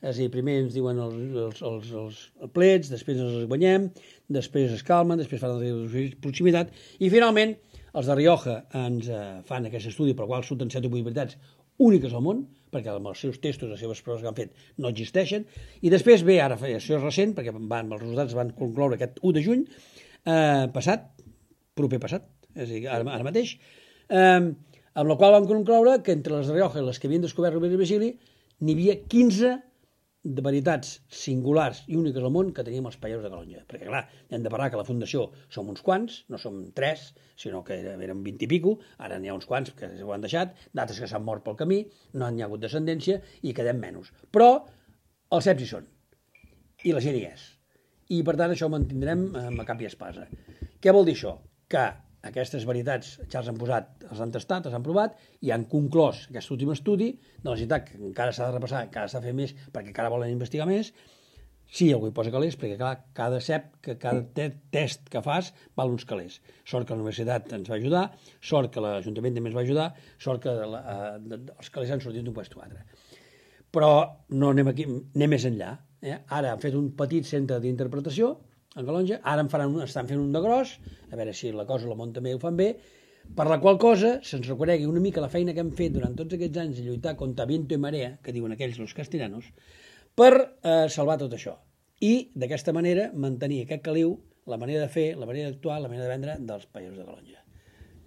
És a dir, primer ens diuen els plets, després els guanyem, després es calmen, després fan la proximitat, i finalment els de Rioja ens fan aquest estudi pel qual surten 7 o 8 veritats úniques al món, perquè amb els seus testos, les seves proves que han fet no existeixen, i després ve, ara això és recent, perquè els resultats van concloure aquest 1 de juny proper passat, és a dir, ara mateix, amb la qual vam concloure que entre les de Rioja i les que havien descobert Rovira i Virgili n'hi havia 15 de veritats singulars i úniques al món que teníem els països de Calonge. Perquè, clar, hem de parlar que la Fundació som uns quants, no som 3, sinó que érem 20 i pico, ara n'hi ha uns quants que ho han deixat, d'altres que s'han mort pel camí, no n'hi ha hagut descendència i quedem menys. Però els ceps hi són, i la gent hi és. I, per tant, això ho mantindrem a cap i espasa. Què vol dir això? Que aquestes veritats ja els han posat, els han tastat, els han provat i han conclòs aquest últim estudi de la necessitat que encara s'ha de repassar, encara s'ha de fer més perquè encara volen investigar més. Sí, algú hi posa calés, perquè clar, cada cep, cada test que fas val uns calés. Sort que la universitat ens va ajudar, sort que l'Ajuntament també ens va ajudar, sort que els calés han sortit d'un puesto a altre. Però no anem aquí, anem més enllà. Ara han fet un petit centre d'interpretació en Calonge, ara estan fent un de gros, a veure si la cosa la món també ho fan bé, per la qual cosa se'ns reconegui una mica la feina que hem fet durant tots aquests anys de lluitar contra viento i marea, que diuen aquells los castellanos, per salvar tot això. I d'aquesta manera mantenir aquest caliu, la manera de fer, la manera d'actuar, la manera de vendre dels països de Calonge.